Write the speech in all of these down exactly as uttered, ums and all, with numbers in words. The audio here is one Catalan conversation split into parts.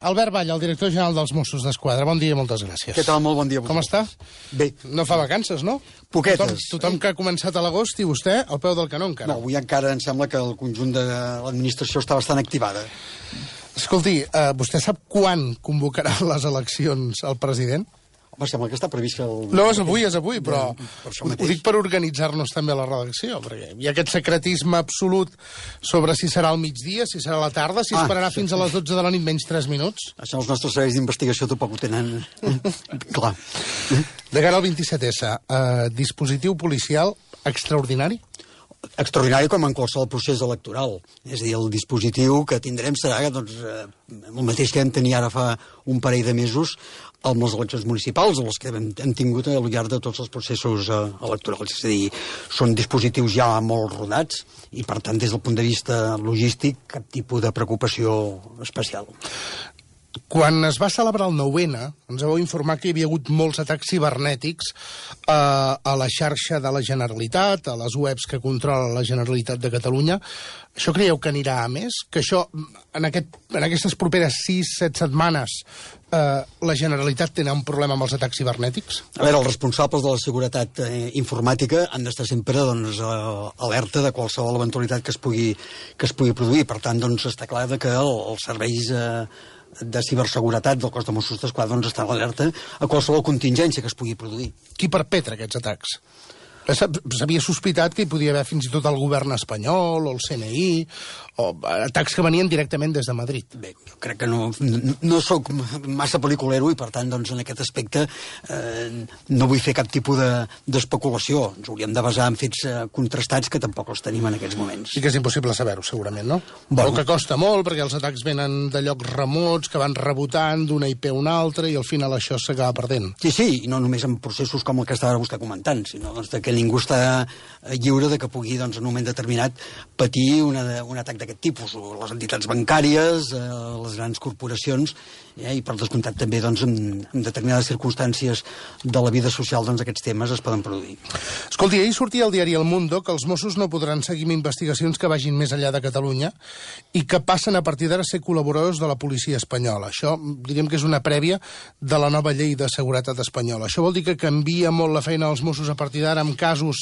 Albert Vall, el director general dels Mossos d'Esquadra. Bon dia i moltes gràcies. Què tal? Molt bon dia a Com està? Bé. No fa vacances, no? Poquetes. Tothom, tothom que ha començat a l'agost i vostè al peu del canó encara. No, avui encara em sembla que el conjunt de l'administració està bastant activada. Escolti, eh, vostè sap quan convocarà les eleccions el president? Home, sembla que està previst que... El... No, és avui, és avui, però Ja, per això ho, mateix. ho dic per organitzar-nos també a la redacció, perquè hi ha aquest secretisme absolut sobre si serà al migdia, si serà a la tarda, si Ah, esperarà sí, fins sí. a les dotze de la nit menys tres minuts. Això els nostres serveis d'investigació tampoc ho tenen clar. De cara al vint-i-set esse, eh, dispositiu policial extraordinari? Extraordinari com en qualsevol procés electoral. És a dir, el dispositiu que tindrem serà doncs, eh, el mateix que vam tenir ara fa un parell de mesos amb les eleccions municipals, o les que hem, hem tingut al llarg de tots els processos eh, electorals. És a dir, són dispositius ja molt rodats i, per tant, des del punt de vista logístic, cap tipus de preocupació especial. Quan es va celebrar el nou ene, ens vau informar que hi havia hagut molts atacs cibernètics eh, a la xarxa de la Generalitat, a les webs que controla la Generalitat de Catalunya. Això creieu que anirà a més? Que això, en, aquest, en aquestes properes sis set setmanes, eh, la Generalitat tindrà un problema amb els atacs cibernètics? A veure, els responsables de la seguretat eh, informàtica han d'estar sempre doncs, eh, alerta de qualsevol eventualitat que es pugui, que es pugui produir. Per tant, doncs, està clar que el, els serveis eh, de ciberseguretat del cos de Mossos d'Esquadra doncs, estan alerta a qualsevol contingència que es pugui produir. Qui perpetra aquests atacs? S'havia sospitat que hi podia haver fins i tot el govern espanyol o el ce ene i, o atacs que venien directament des de Madrid. Bé, jo crec que no, no, no sóc massa pel·liculero i, per tant, doncs, en aquest aspecte eh, no vull fer cap tipus d'especulació. De, Ens hauríem de basar en fets eh, contrastats que tampoc els tenim en aquests moments. I que és impossible saber-ho, segurament, no? Bueno. O que costa molt, perquè els atacs venen de llocs remots, que van rebotant d'una i pe a una altra, i al final això s'acaba perdent. Sí, sí, i no només en processos com el que estava vostè comentant, sinó doncs, que ningú està lliure de que pugui, doncs, en un moment determinat, patir una, un atac d'aquest tipus, o les entitats bancàries, eh, les grans corporacions, eh, i per descomptat també doncs, en, en determinades circumstàncies de la vida social doncs, aquests temes es poden produir. Escolti, ahir sortia al diari El Mundo que els Mossos no podran seguir amb investigacions que vagin més enllà de Catalunya i que passen a partir d'ara a ser col·laboradors de la policia espanyola. Això diríem que és una prèvia de la nova llei de seguretat espanyola. Això vol dir que canvia molt la feina dels Mossos a partir d'ara en casos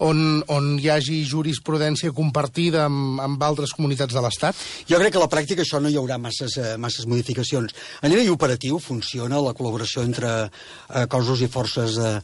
on, on hi hagi jurisprudència compartida amb, amb altres comunitats de l'Estat? Jo crec que a la pràctica això no hi haurà masses, eh, masses modificacions. A nivell operatiu funciona la col·laboració entre eh, cossos i forces eh,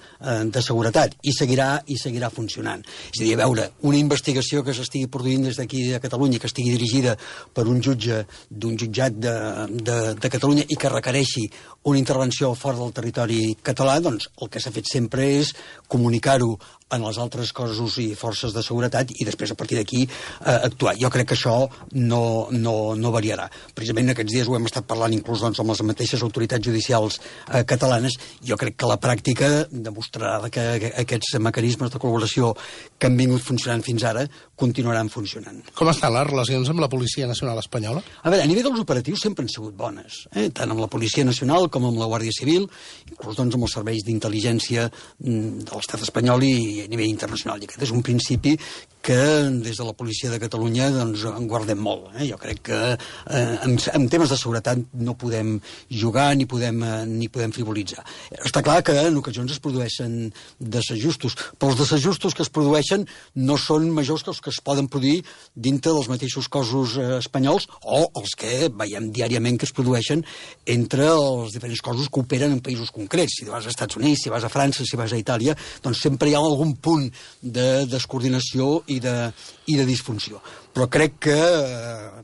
de seguretat i seguirà i seguirà funcionant. És a dir, a veure, una investigació que s'estigui produint des d'aquí de Catalunya, que estigui dirigida per un jutge d'un jutjat de, de, de Catalunya i que requereixi una intervenció fora del territori català, doncs el que s'ha fet sempre és comunicar-ho en els altres cossos i forces de seguretat i després a partir d'aquí eh, actuar. Jo crec que això no, no, no variarà. Precisament aquests dies ho hem estat parlant inclús doncs, amb les mateixes autoritats judicials eh, catalanes. Jo crec que la pràctica demostrarà que, que aquests mecanismes de col·laboració que han vingut funcionant fins ara continuaran funcionant. Com estan les relacions amb la Policia Nacional Espanyola? A veure, a nivell dels operatius sempre han sigut bones, eh? Tant amb la Policia Nacional com amb la Guàrdia Civil, inclús doncs, amb els serveis d'intel·ligència de l'estat espanyol i a nivell internacional. I aquest és un principi que des de la policia de Catalunya doncs, en guardem molt. Eh? Jo crec que eh, en, en temes de seguretat no podem jugar ni podem, eh, ni podem frivolitzar. Està clar que en ocasions es produeixen desajustos, però els desajustos que es produeixen no són majors que els que es poden produir dintre dels mateixos cossos eh, espanyols o els que veiem diàriament que es produeixen entre els diferents cossos que operen en països concrets. Si vas als Estats Units, si vas a França, si vas a Itàlia, doncs sempre hi ha algun punt de descoordinació i de, i de disfunció. Però crec que eh,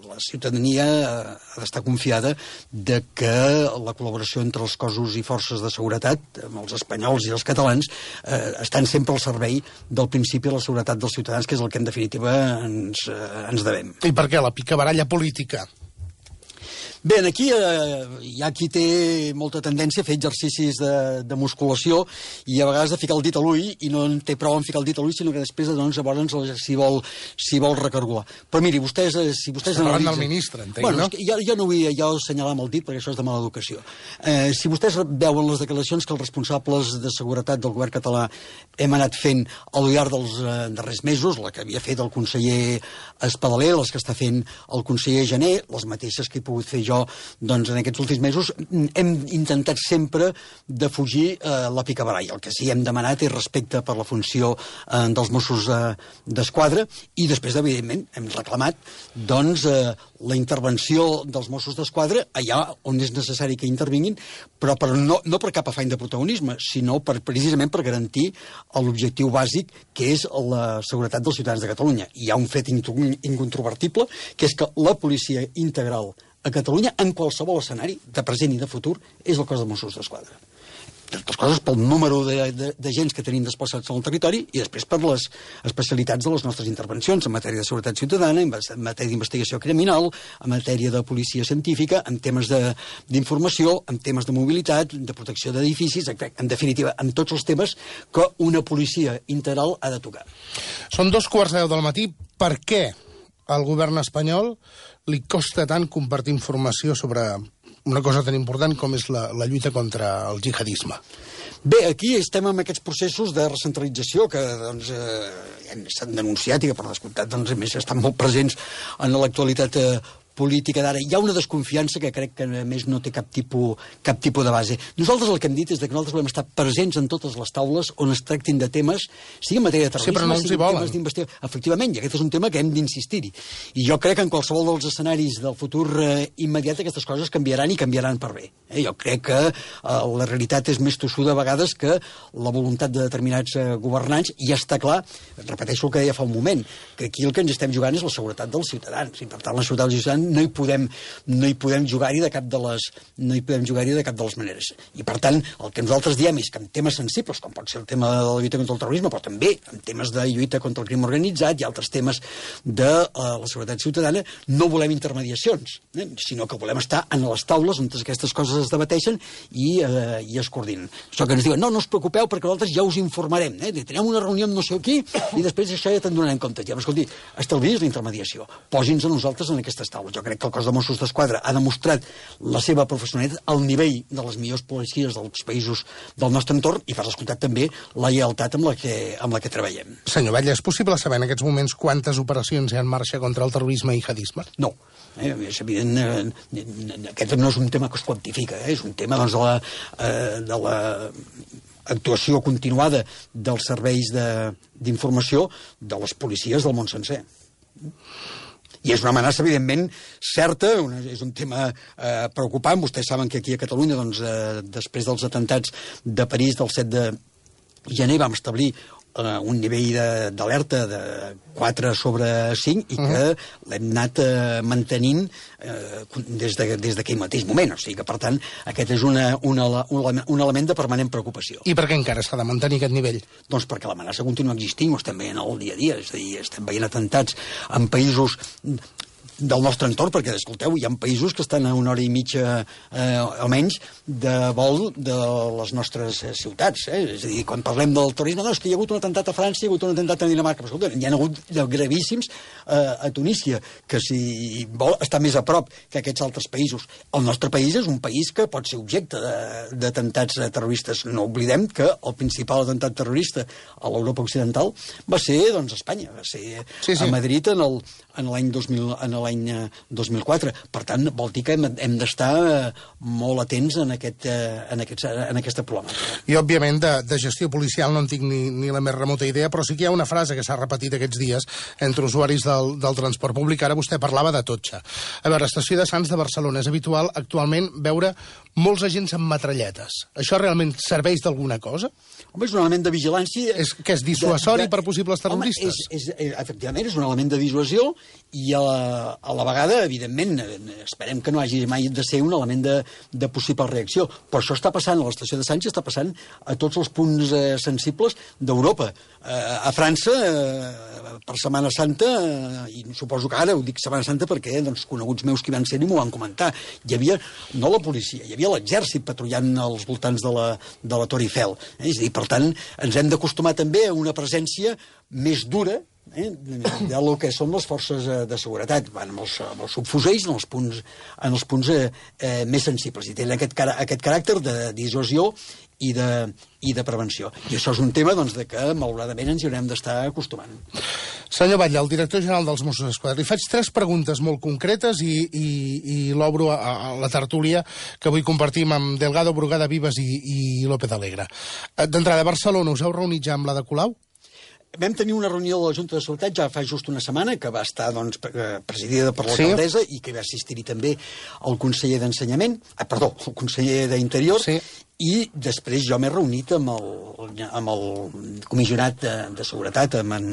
la ciutadania ha d'estar confiada de que la col·laboració entre els cossos i forces de seguretat, amb els espanyols i els catalans, eh, estan sempre al servei del principi de la seguretat dels ciutadans, que és el que en definitiva ens, eh, ens devem. I per què la picabaralla política? Bé, aquí eh, hi ha qui té molta tendència a fer exercicis de, de musculació i a vegades de ficar el dit a l'ull i no en té prou en ficar el dit a l'ull, sinó que després doncs, llavors si vol, si vol recargolar. Però miri, vostès... Eh, si vostès parlant analitzen... del ministre, entenc, bueno, no? Jo, jo no vull jo assenyalar amb el dit perquè això és de mala educació. Eh, si vostès veuen les declaracions que els responsables de seguretat del govern català hem anat fent al llarg dels eh, darrers mesos, la que havia fet el conseller Espadaler, les que està fent el conseller Jané, les mateixes que he pogut fer jo, doncs, en aquests últims mesos, hem intentat sempre de fugir eh, la picabaralla. El que sí hem demanat és respecte per la funció eh, dels Mossos eh, d'Esquadra i després, evidentment, hem reclamat doncs, eh, la intervenció dels Mossos d'Esquadra allà on és necessari que intervinguin, però per no, no per cap afany de protagonisme, sinó per, precisament per garantir l'objectiu bàsic, que és la seguretat dels ciutadans de Catalunya. Hi ha un fet incontrovertible, que és que la policia integral a Catalunya, en qualsevol escenari, de present i de futur, és el cos de Mossos d'Esquadra. D'altres coses pel número d'agents que tenim desplaçats al territori i després per les especialitats de les nostres intervencions en matèria de seguretat ciutadana, en matèria d'investigació criminal, en matèria de policia científica, en temes d'informació, en temes de mobilitat, de protecció d'edificis, en definitiva, en tots els temes que una policia integral ha de tocar. Són dos quarts de deu del matí. Per què al govern espanyol li costa tant compartir informació sobre una cosa tan important com és la, la lluita contra el jihadisme? Bé, aquí estem amb aquests processos de recentralització que doncs, eh, s'han denunciat i que, per descomptat, doncs, a més estan molt presents en l'actualitat eh, política d'ara. Hi ha una desconfiança que crec que, a més, no té cap tipus, cap tipus de base. Nosaltres el que hem dit és que nosaltres volem estar presents en totes les taules on es tractin de temes, sigui en matèria de terrorisme, sí, però no els hi volen. Temes d'investigació. Efectivament, i aquest és un tema que hem d'insistir-hi. I jo crec que en qualsevol dels escenaris del futur eh, immediat aquestes coses canviaran i canviaran per bé. Eh? Jo crec que eh, la realitat és més tossuda a vegades que la voluntat de determinats eh, governants, i ja està clar, repeteixo el que deia fa un moment, que aquí el que ens estem jugant és la seguretat dels ciutadans, i per tant la seguretat dels ciutadans no hi podem, no hi podem jugar-hi de cap de les no hi podem jugar-hi de cap de les maneres. I per tant, el que nosaltres diem és que en temes sensibles, com pot ser el tema de la lluita contra el terrorisme, però també en temes de lluita contra el crim organitzat i altres temes de uh, la seguretat ciutadana, no volem intermediacions, eh? sinó que volem estar en les taules on aquestes coses es debateixen i, uh, i es coordinen. Això que ens diuen, no, no us preocupeu perquè nosaltres ja us informarem, eh? tenim una reunió amb no sé qui i després això ja te'n donarem compte. Ja, però escolti, estalviï's la intermediació, posin-nos a nosaltres en aquestes taules. Jo crec que el cos de Mossos d'Esquadra ha demostrat la seva professionalitat al nivell de les millors policies dels països del nostre entorn i, per descomptat, també la lleialtat amb la que, amb la que treballem. Senyor Batlle, és possible saber en aquests moments quantes operacions hi ha en marxa contra el terrorisme i jihadisme? No. Eh, és evident, eh, aquest no és un tema que es quantifica, eh, és un tema doncs, de la... Eh, de la actuació continuada dels serveis d'informació de, de les policies del món sencer. I és una amenaça, evidentment, certa, una, és un tema eh, preocupant. Vostès saben que aquí a Catalunya, doncs, eh, després dels atentats de París del set de gener, vam establir eh, un nivell d'alerta de, de quatre sobre cinc i que uh-huh. l'hem anat eh, mantenint eh, des d'aquell de, des mateix moment. O sigui que, per tant, aquest és una, una, un, un element de permanent preocupació. I per què encara s'ha de mantenir aquest nivell? Doncs perquè l'amenaça continua existint, ho estem veient al dia a dia, és a dir, estem veient atentats en països del nostre entorn, perquè, escolteu, hi ha països que estan a una hora i mitja eh, o menys de vol de les nostres eh, ciutats. Eh? És a dir, quan parlem del terrorisme, no, és que hi ha hagut un atemptat a França, hi ha hagut un atemptat a Dinamarca, però escolta, hi ha hagut gravíssims eh, a Tunísia, que si vol està més a prop que aquests altres països. El nostre país és un país que pot ser objecte d'atemptats terroristes. No oblidem que el principal atemptat terrorista a l'Europa occidental va ser, doncs, Espanya, va ser sí, sí. a Madrid en el en l'any dos mil en l'any dos mil quatre. Per tant, vol dir que hem, hem d'estar molt atents en, aquest, en, aquest, en aquesta problemàtica. I, òbviament, de, de gestió policial no en tinc ni, ni la més remota idea, però sí que hi ha una frase que s'ha repetit aquests dies entre usuaris del, del transport públic. Ara vostè parlava de totxa. A veure, estació de Sants de Barcelona. És habitual actualment veure molts agents amb metralletes. Això realment serveix d'alguna cosa? Home, és un element de vigilància... És, que és dissuasori de, de... per possibles terroristes? Home, és, és, efectivament, és un element de dissuasió i a la, a la vegada, evidentment, esperem que no hagi mai de ser un element de, de possible reacció. Però això està passant a l'estació de Sants i està passant a tots els punts eh, sensibles d'Europa. Eh, a França, eh, per Setmana Santa, eh, i suposo que ara ho dic Setmana Santa perquè doncs, coneguts meus que hi van ser i m'ho van comentar, hi havia, no la policia, hi havia l'exèrcit patrullant als voltants de la, de la Torre Eiffel. Eh? És a dir, per tant, ens hem d'acostumar també a una presència més dura eh, del que són les forces de seguretat. Van amb els, amb els subfusells en els punts, en els punts eh, eh, més sensibles. I tenen aquest, aquest caràcter de dissuasió i de, i de prevenció. I això és un tema doncs, de que, malauradament, ens hi haurem d'estar acostumant. Senyor Batlle, el director general dels Mossos d'Esquadra, li faig tres preguntes molt concretes i, i, i l'obro a, a la tertúlia que avui compartim amb Delgado, Brugada, Vives i, i López Alegre. D'entrada, a Barcelona, us heu reunit ja amb la de Colau? Vam tenir una reunió de la Junta de Seguretat ja fa just una setmana, que va estar doncs, presidida per l'alcaldessa sí. I que va assistir-hi també el conseller d'Ensenyament, ah, perdó, el conseller d'Interior, sí. I després jo m'he reunit amb el, amb el comissionat de, de seguretat, amb en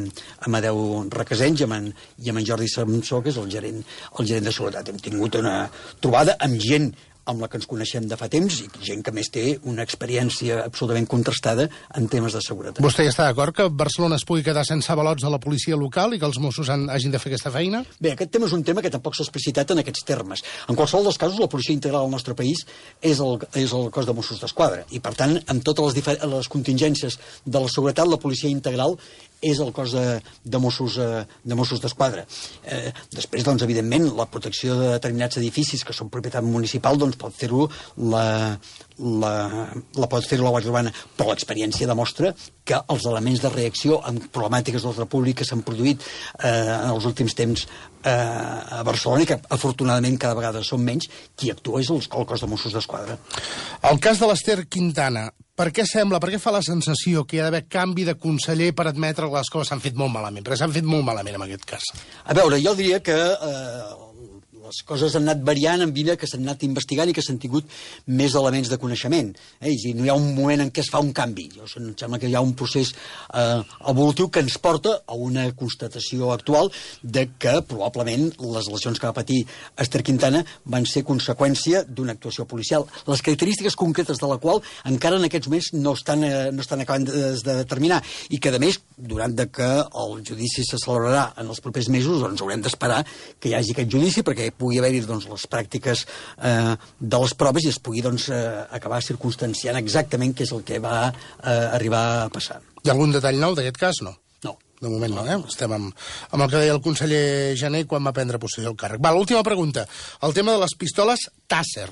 Amadeu Requesens i amb en, i amb en Jordi Samsó, que és el gerent, el gerent de seguretat. Hem tingut una trobada amb gent amb la que ens coneixem de fa temps i gent que més té una experiència absolutament contrastada en temes de seguretat. Vostè està d'acord que Barcelona es pugui quedar sense avalots de la policia local i que els Mossos han, hagin de fer aquesta feina? Bé, aquest tema és un tema que tampoc s'ha explicitat en aquests termes. En qualsevol dels casos, la policia integral al nostre país és el, és el cos de Mossos d'Esquadra i, per tant, amb totes les, les contingències de la seguretat, la policia integral és el cos de, de Mossos eh, de Mossos d'Esquadra. Eh, després, doncs, evidentment, la protecció de determinats edificis que són propietat municipal doncs, pot fer-ho la, la, la pot fer-ho la Guàrdia Urbana, però l'experiència demostra que els elements de reacció en problemàtiques d'ordre públic que s'han produït eh, en els últims temps eh, a Barcelona i que, afortunadament, cada vegada són menys, qui actua és el, el cos de Mossos d'Esquadra. El cas de l'Ester Quintana, per què sembla, per què fa la sensació que hi ha d'haver canvi de conseller per admetre que les coses s'han fet molt malament? Perquè s'han fet molt malament en aquest cas. A veure, jo diria que eh, les coses han anat variant en vida, que s'han anat investigant i que s'han tingut més elements de coneixement. Eh? I no hi ha un moment en què es fa un canvi. Jo, em sembla que hi ha un procés eh, evolutiu que ens porta a una constatació actual de que probablement les lesions que va patir Ester Quintana van ser conseqüència d'una actuació policial. Les característiques concretes de la qual encara en aquests moments no estan, eh, no estan acabant de, de determinar i que, a més, durant de que el judici se celebrarà en els propers mesos, doncs haurem d'esperar que hi hagi aquest judici perquè pugui haver-hi doncs, les pràctiques eh, de les proves i es pugui doncs, eh, acabar circumstanciant exactament què és el que va eh, arribar a passar. Hi ha algun detall nou d'aquest cas? No. No. De moment no, eh? Estem amb, amb el que deia el conseller Jané quan va prendre possessió del càrrec. Va, l'última pregunta. El tema de les pistoles Taser,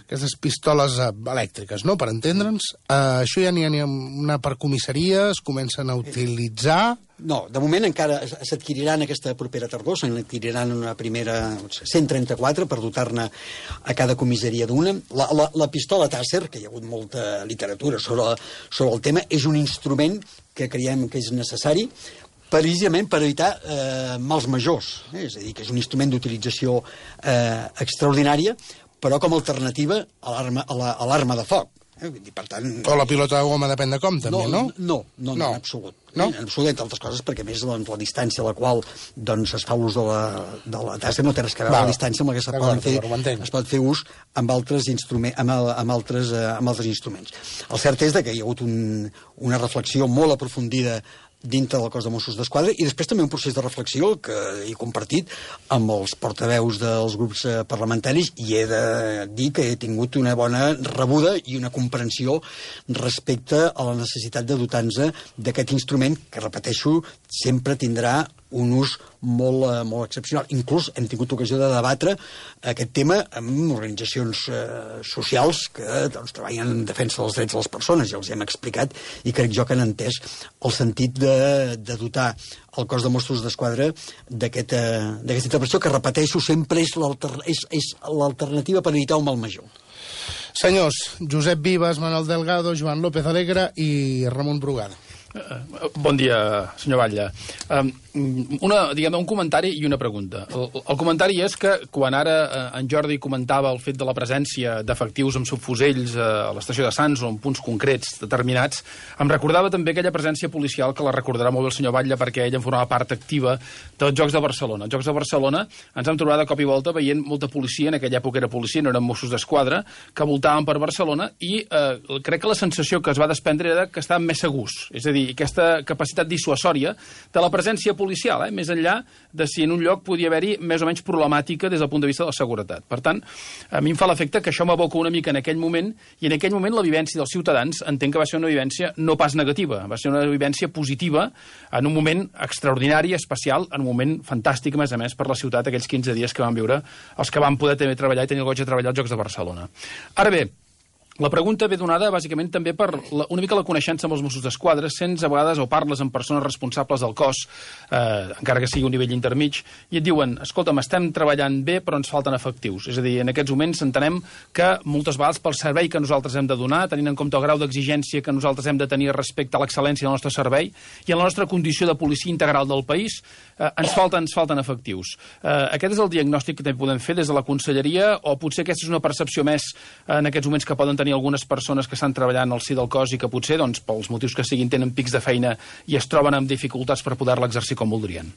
aquestes pistoles uh, elèctriques, no?, per entendre'ns. Uh, això ja n'hi ha, ha una per comissaria, es comencen a utilitzar... No, de moment encara s'adquiriran aquesta propera tardor, se n'adquiriran una primera cent trenta-quatre per dotar-ne a cada comissaria d'una. La, la, la pistola Taser, que hi ha hagut molta literatura sobre, sobre el tema, és un instrument que creiem que és necessari precisament per evitar eh, mals majors. Eh? És a dir, que és un instrument d'utilització eh, extraordinària, però com a alternativa a l'arma de foc. Eh? Per tant, o la pilota de goma, depèn de com, també, no? No, no, no, no, en absolut. No? En absolut, entre altres coses, perquè a més doncs, la distància a la qual doncs, es fa l'ús de la, de la tassa no té res que veure amb la distància amb la que es pot fer, es pot fer ús amb altres, instruments, amb, amb, altres, uh, amb altres instruments. El cert és que hi ha hagut un, una reflexió molt aprofundida dintre del cos de Mossos d'Esquadra i després també un procés de reflexió que he compartit amb els portaveus dels grups parlamentaris i he de dir que he tingut una bona rebuda i una comprensió respecte a la necessitat de dotar-nos d'aquest instrument que, repeteixo, sempre tindrà un ús molt, uh, molt excepcional. Inclús hem tingut ocasió de debatre aquest tema amb organitzacions uh, socials que doncs, treballen en defensa dels drets de les persones, ja els hem explicat, i crec jo que han entès el sentit de, de dotar el cos de Mossos d'Esquadra d'aquesta uh, intervenció que, repeteixo, sempre és l'alternativa per evitar un mal major. Senyors, Josep Vives, Manuel Delgado, Joan López Alegre i Ramon Brugada. Bon dia, senyor Batlle. Una, diguem, un comentari i una pregunta. El, el comentari és que quan ara en Jordi comentava el fet de la presència d'efectius amb subfusells a l'estació de Sants o en punts concrets determinats, em recordava també aquella presència policial que la recordarà molt bé el senyor Batlle perquè ella en formava part activa dels Jocs de Barcelona. Els Jocs de Barcelona ens hem trobat de cop i volta veient molta policia, en aquella època era policia, no eren Mossos d'Esquadra, que voltaven per Barcelona i eh, crec que la sensació que es va desprendre era que estaven més segurs. És a dir, dir, aquesta capacitat dissuasòria de la presència policial, eh? Més enllà de si en un lloc podia haver-hi més o menys problemàtica des del punt de vista de la seguretat. Per tant, a mi em fa l'efecte que això m'aboca una mica en aquell moment, i en aquell moment la vivència dels ciutadans entenc que va ser una vivència no pas negativa, va ser una vivència positiva en un moment extraordinari, especial, en un moment fantàstic, a més a més, per la ciutat, aquells quinze dies que van viure els que van poder també treballar i tenir el goig de treballar als Jocs de Barcelona. Ara bé, la pregunta ve donada, bàsicament, també per la, una mica la coneixença amb els Mossos d'Esquadra. Sents a vegades o parles amb persones responsables del cos, eh, encara que sigui un nivell intermig, i et diuen, escolta'm, estem treballant bé, però ens falten efectius. És a dir, en aquests moments entenem que moltes vegades pel servei que nosaltres hem de donar, tenint en compte el grau d'exigència que nosaltres hem de tenir respecte a l'excel·lència del nostre servei i a la nostra condició de policia integral del país, eh, ens, falten, ens falten efectius. Eh, aquest és el diagnòstic que també podem fer des de la Conselleria, o potser aquesta és una percepció més eh, en aquests moments que poden tenir algunes persones que estan treballant al si del cos i que potser, doncs, pels motius que siguin, tenen pics de feina i es troben amb dificultats per poder-la exercir com voldrien.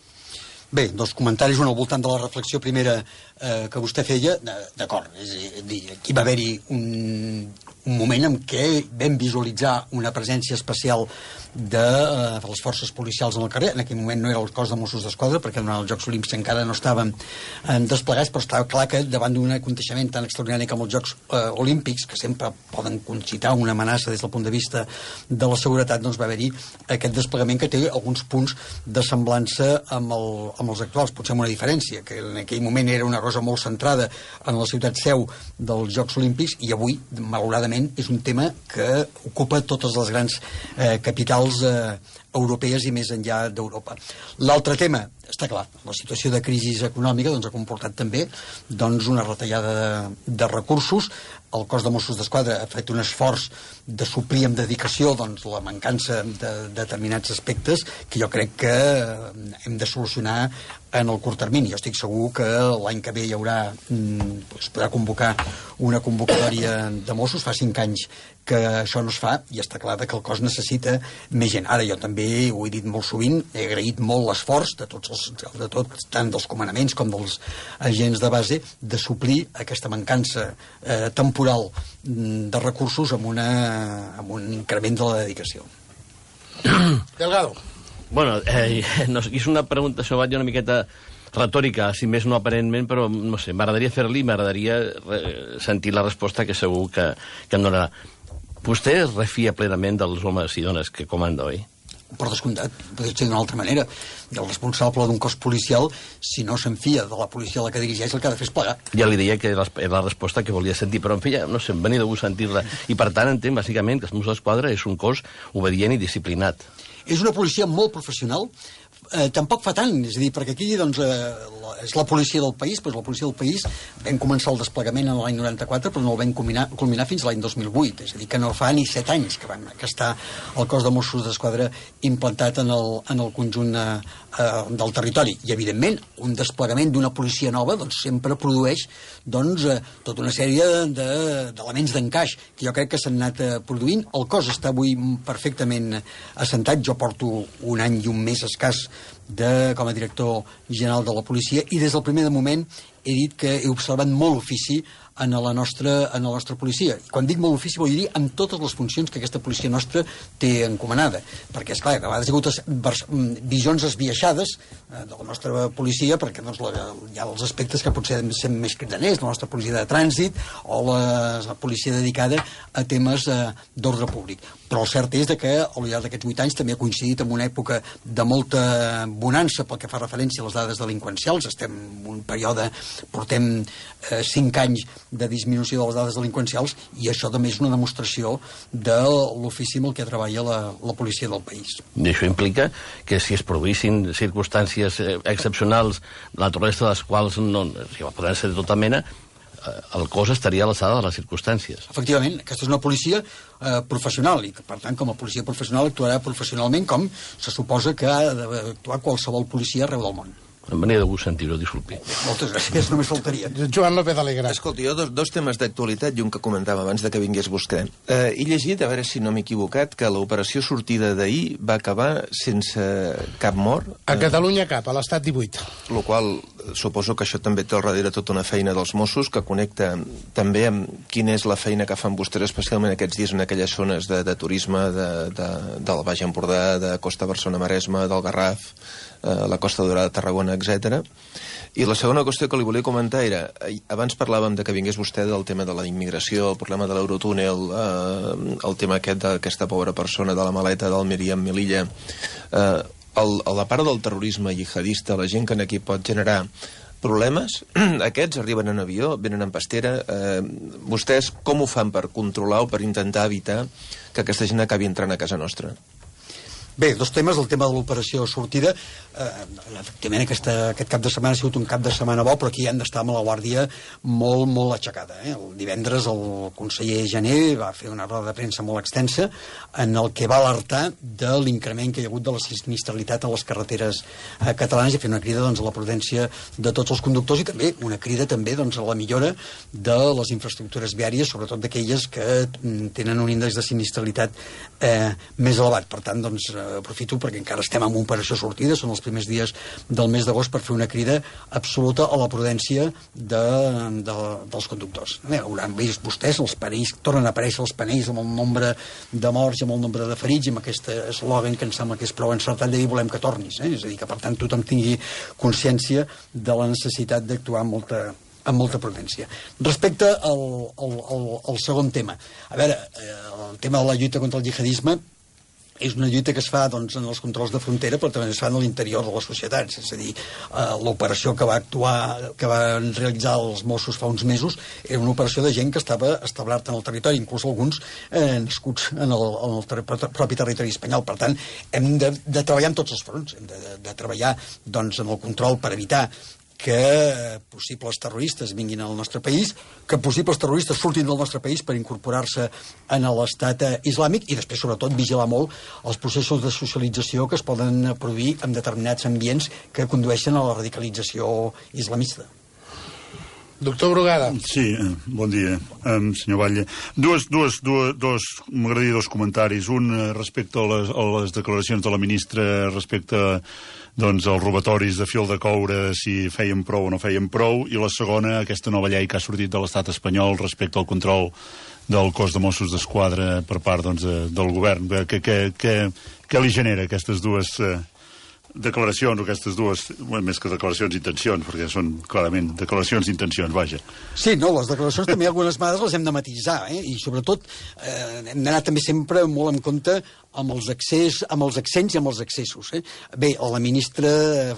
Bé, dos comentaris, un al voltant de la reflexió primera eh, que vostè feia. D'acord, és a dir, aquí va haver-hi un, un moment en què vam visualitzar una presència especial de, eh, de les forces policials en el carrer. En aquell moment no era el cos de Mossos d'Esquadra, perquè durant els Jocs Olímpics encara no estaven eh, desplegats, però estava clar que davant d'un aconteixement tan extraordinari com els Jocs eh, Olímpics, que sempre poden concitar una amenaça des del punt de vista de la seguretat, doncs va haver-hi aquest desplegament que té alguns punts de semblança amb el amb els actuals, potser amb una diferència, que en aquell moment era una cosa molt centrada en la ciutat seu dels Jocs Olímpics, i avui, malauradament, és un tema que ocupa totes les grans eh, capitals eh, europees i més enllà d'Europa. L'altre tema, està clar, la situació de crisi econòmica doncs, ha comportat també doncs, una retallada de, de recursos. El cos de Mossos d'Esquadra ha fet un esforç de suplir amb dedicació doncs, la mancança de, de determinats aspectes que jo crec que hem de solucionar en el curt termini. Jo estic segur que l'any que ve hi haurà, es podrà convocar una convocatòria de Mossos. Fa cinc anys que això no es fa i està clar que el cos necessita més gent. Ara jo també ho he dit molt sovint, he agraït molt l'esforç de tots els, de tot, tant dels comandaments com dels agents de base, de suplir aquesta mancança eh, temporal de recursos amb, una, amb un increment de la dedicació. Delgado. Bueno, eh, no, és una pregunta, això va una miqueta retòrica, si més no aparentment, però no sé, m'agradaria fer-li, m'agradaria sentir la resposta que segur que, que em donarà. Vostè es refia plenament dels homes i dones que comanda, oi? Per descomptat, podria ser d'una altra manera. El responsable d'un cos policial, si no s'enfia de la policia a la que dirigeix, el que ha de fer és plegar. Ja li deia que era la resposta que volia sentir, però en fi, ja, no sé, em venia de gust sentir-la. I per tant entenc, bàsicament, que els Mossos d'Esquadra és un cos obedient i disciplinat. És una policia molt professional, eh, tampoc fa tant, és a dir, perquè aquí doncs, eh, la, és la policia del país, doncs la policia del país vam començar el desplegament en l'any noranta-quatre, però no el vam culminar, culminar fins l'any dos mil vuit, és a dir, que no fa ni set anys que, van, que està el cos de Mossos d'Esquadra implantat en el, en el conjunt eh, del territori. I, evidentment, un desplegament d'una policia nova doncs, sempre produeix doncs, eh, tota una sèrie d'elements de, d'encaix que jo crec que s'han anat eh, produint. El cos està avui perfectament assentat. Jo porto un any i un mes escàs de, com a director general de la policia, i des del primer moment he dit que he observat molt ofici en la nostra, en la nostra policia. I quan dic molt ofici vol dir amb totes les funcions que aquesta policia nostra té encomanada. Perquè, esclar, a vegades hi ha hagut visions esbiaixades eh, de la nostra policia, perquè doncs, la, hi ha els aspectes que potser són més cridaners, la nostra policia de trànsit o la, la policia dedicada a temes eh, d'ordre públic. Però el cert és que al llarg d'aquests vuit anys també ha coincidit amb una època de molta bonança pel que fa referència a les dades delinqüencials. Estem en un període, portem eh, cinc anys de disminució de les dades delinqüencials, i això també és una demostració de l'ofici amb el que treballa la, la policia del país. I això implica que si es produïssin circumstàncies excepcionals, la naturalesa de les quals no, si poden ser de tota mena, el cos estaria a l'alçada de les circumstàncies. Efectivament, aquesta és una policia eh, professional, i que, per tant, com a policia professional actuarà professionalment com se suposa que ha d'actuar qualsevol policia arreu del món. Em venia de gust sentir-ho, disculpi. Moltes gràcies, només faltaria. Joan López Alegre. Escolta, jo dos, dos temes d'actualitat i un que comentava abans de que vingués vostè. Eh, he llegit, a veure si no m'he equivocat, que l'operació sortida d'ahir va acabar sense cap mort. A Catalunya cap, a l'estat divuit. Lo qual suposo que això també té al darrere tota una feina dels Mossos que connecta també amb quina és la feina que fan vostès especialment aquests dies en aquelles zones de, de turisme de, de, del Baix Empordà, de Costa Barcelona-Maresme, del Garraf, eh, la Costa Daurada, Tarragona, etcètera. I la segona qüestió que li volia comentar era, abans parlàvem de que vingués vostè del tema de la immigració, el problema de l'Eurotúnel, eh, el tema aquest d'aquesta pobra persona de la maleta del Míriam Melilla, eh, el, la part del terrorisme jihadista, la gent que aquí pot generar problemes, aquests arriben en avió, venen en pastera, eh, vostès com ho fan per controlar o per intentar evitar que aquesta gent acabi entrant a casa nostra? Bé, dos temes, el tema de l'operació sortida. Eh, efectivament, aquesta, aquest cap de setmana ha sigut un cap de setmana bo, però aquí hem d'estar amb la guàrdia molt, molt aixecada. Eh? El divendres el conseller Jané va fer una roda de premsa molt extensa en el que va alertar de l'increment que hi ha hagut de la sinistralitat a les carreteres eh, catalanes i fer una crida doncs, a la prudència de tots els conductors i també una crida també doncs, a la millora de les infraestructures viàries, sobretot d'aquelles que tenen un índex de sinistralitat eh, més elevat. Per tant, doncs, aprofito perquè encara estem en operació sortida, són els primers dies del mes d'agost per fer una crida absoluta a la prudència de, de, dels conductors. Bé, hauran vist vostès, els panells, tornen a aparèixer els panells amb el nombre de morts i amb el nombre de ferits i amb aquest eslògan que em sembla que és prou encertat de dir volem que tornis. Eh? És a dir, que per tant tothom tingui consciència de la necessitat d'actuar amb molta amb molta prudència. Respecte al, al, al, al segon tema, a veure, el tema de la lluita contra el jihadisme és una lluita que es fa doncs, en els controls de frontera, però també es fa en l'interior de les societats. És a dir, eh, l'operació que va actuar, que van realitzar els Mossos fa uns mesos, era una operació de gent que estava establerta en el territori, inclús alguns eh, nascuts en el, en el ter propi territori espanyol. Per tant, hem de, de treballar en tots els fronts. Hem de, de, de treballar doncs, en el control per evitar que possibles terroristes vinguin al nostre país, que possibles terroristes surtin del nostre país per incorporar-se en l'estat islàmic i després, sobretot, vigilar molt els processos de socialització que es poden produir en determinats ambients que condueixen a la radicalització islamista. Doctor Brugada. Sí, bon dia, um, senyor Batlle. Dues, dues, dues, dos, m'agradaria dos comentaris. Un respecte a les, a les declaracions de la ministra respecte a doncs, els robatoris de fil de coure, si feien prou o no feien prou, i la segona, aquesta nova llei que ha sortit de l'estat espanyol respecte al control del cos de Mossos d'Esquadra per part doncs, de, del govern. Què, què, què, què li genera aquestes dues eh, declaracions, o aquestes dues, bueno, més que declaracions, intencions, perquè són clarament declaracions d'intencions, vaja. Sí, no, les declaracions també algunes vegades les hem de matisar, eh? I sobretot eh, hem d'anar també sempre molt en compte amb els, accés, amb els accents i amb els accessos. Eh? Bé, la ministra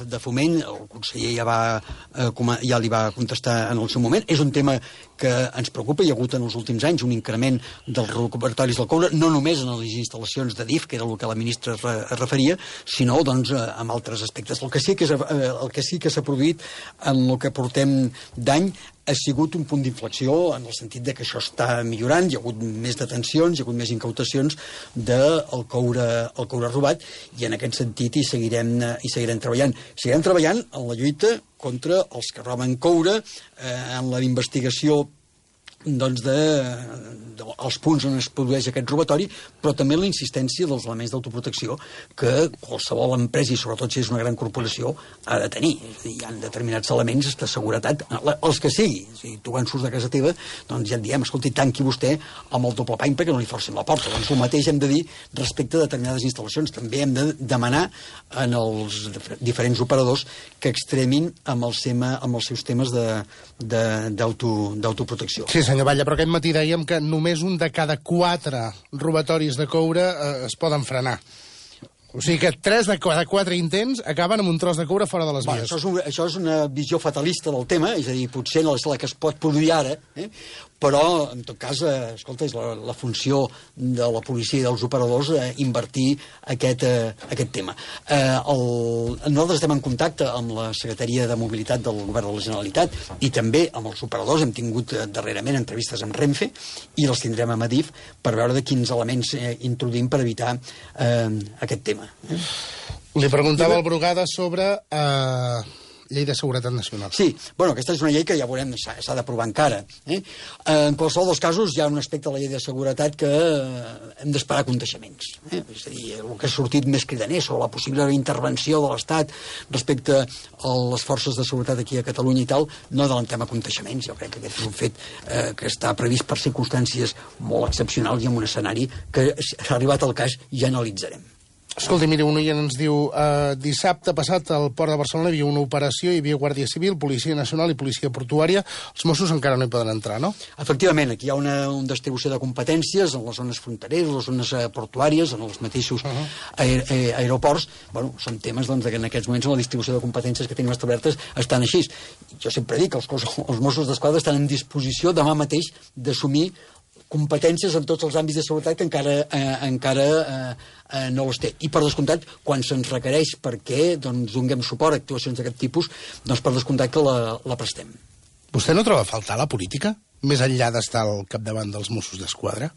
de Foment, el conseller ja, va, eh, ja li va contestar en el seu moment, és un tema que ens preocupa. Hi ha hagut en els últims anys un increment dels recuperatoris del coure, no només en les instal·lacions de D I F, que era el que la ministra es, re, es referia, sinó doncs, en altres aspectes. El que sí que, és, el que sí que s'ha produït en el que portem d'any ha sigut un punt d'inflexió en el sentit de que això està millorant, hi ha hagut més detencions, hi ha hagut més incautacions del coure, el coure robat, i en aquest sentit hi seguirem, hi seguirem treballant. Seguirem treballant en la lluita contra els que roben coure, eh, en la investigació doncs de, de, els punts on es produeix aquest robatori, però també la insistència dels elements d'autoprotecció que qualsevol empresa, i sobretot si és una gran corporació, ha de tenir. És a dir, hi ha determinats elements de seguretat, els que sigui. Si tu quan surts de casa teva, doncs ja et diem, escolti, tanqui vostè amb el doble pany perquè no li forcin la porta. Doncs el mateix hem de dir respecte a determinades instal·lacions. També hem de demanar en els diferents operadors que extremin amb, el sema, amb els seus temes d'autoprotecció. Sí, senyor Batlle, però aquest matí dèiem que només un de cada quatre robatoris de coure eh, es poden frenar. O sigui que tres de cada quatre intents acaben amb un tros de coure fora de les vies. Bueno, això, és un, això és una visió fatalista del tema, és a dir, potser no és la que es pot produir ara, eh? Però, en tot cas, eh, escolta, és la, la funció de la policia i dels operadors eh, invertir aquest, eh, aquest tema. Eh, el, nosaltres estem en contacte amb la Secretaria de Mobilitat del Govern de la Generalitat i també amb els operadors. Hem tingut eh, darrerament entrevistes amb Renfe i les tindrem amb Adif per veure de quins elements eh, introduïm per evitar eh, aquest tema. Eh? Li preguntava al Brugada sobre... Eh... llei de seguretat nacional. Sí, bueno, aquesta és una llei que ja veurem, s'ha d'aprovar encara. Eh? En qualsevol dels casos, hi ha un aspecte de la llei de seguretat que hem d'esperar aconteixements. Eh? És a dir, el que ha sortit més cridaner sobre la possible intervenció de l'Estat respecte a les forces de seguretat aquí a Catalunya i tal, no adelantem aconteixements. Jo crec que aquest és un fet eh, que està previst per circumstàncies molt excepcionals i en un escenari que, s'ha arribat al cas, ja analitzarem. Escolti, mira, un oient ens diu eh, dissabte passat al Port de Barcelona hi havia una operació, hi havia Guàrdia Civil, Policia Nacional i Policia Portuària. Els Mossos encara no hi poden entrar, no? Efectivament, aquí hi ha una, una distribució de competències en les zones frontereres, les zones eh, portuàries, en els mateixos uh -huh. aer aer aeroports. Bueno, són temes doncs, que en aquests moments en la distribució de competències que tenim establertes estan així. Jo sempre dic que els, els Mossos d'Esquadra estan en disposició demà mateix d'assumir competències en tots els àmbits de seguretat que encara, eh, encara eh, eh, no les té. I, per descomptat, quan se'ns requereix perquè doncs, donem suport a actuacions d'aquest tipus, doncs, per descomptat que la, la prestem. Vostè no troba a faltar la política, més enllà d'estar al capdavant dels Mossos d'Esquadra?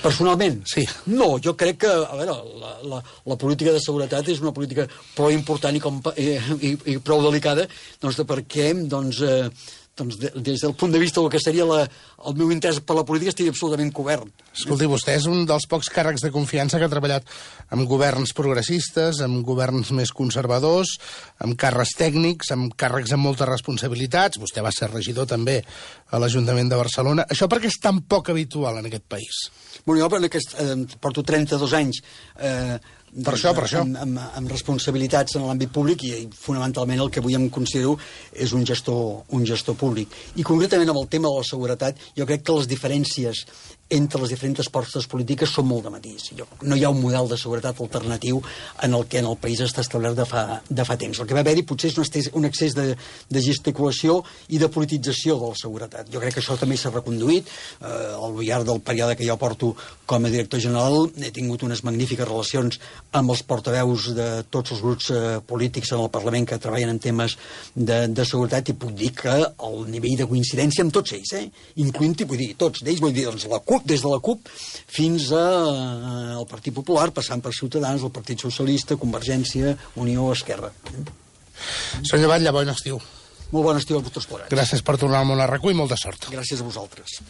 Personalment? Sí. No, jo crec que, a veure, la, la, la política de seguretat és una política prou important i, com, i, i, i prou delicada, doncs, perquè, doncs, eh, doncs de, des del punt de vista del que seria la, el meu interès per la política estigui absolutament cobert. Escolti, vostè és un dels pocs càrrecs de confiança que ha treballat amb governs progressistes, amb governs més conservadors, amb càrrecs tècnics, amb càrrecs amb moltes responsabilitats. Vostè va ser regidor també a l'Ajuntament de Barcelona. Això perquè és tan poc habitual en aquest país? Bueno, jo en aquest, eh, porto trenta-dos anys eh, per això, per això. Amb, amb, amb responsabilitats en l'àmbit públic i, i fonamentalment el que avui em considero és un gestor, un gestor públic. I concretament amb el tema de la seguretat, jo crec que les diferències entre les diferents forces polítiques són molt de matís. Jo, no hi ha un model de seguretat alternatiu en el que en el país està establert de fa, de fa temps. El que va haver-hi potser és un excés, un excés de, de gesticulació i de politització de la seguretat. Jo crec que això també s'ha reconduït. Eh, al llarg del període que jo porto com a director general he tingut unes magnífiques relacions amb els portaveus de tots els grups eh, polítics en el Parlament que treballen en temes de, de seguretat i puc dir que el nivell de coincidència amb tots ells, eh, incloent-hi, vull dir, tots d'ells, vull dir, doncs la CUP, des de la CUP fins al eh, Partit Popular, passant per Ciutadans, el Partit Socialista, Convergència, Unió, Esquerra. Senyor Batlle, bon estiu. Molt bon estiu a tots plegats. Gràcies per tornar al món a RAC u i molta sort. Gràcies a vosaltres.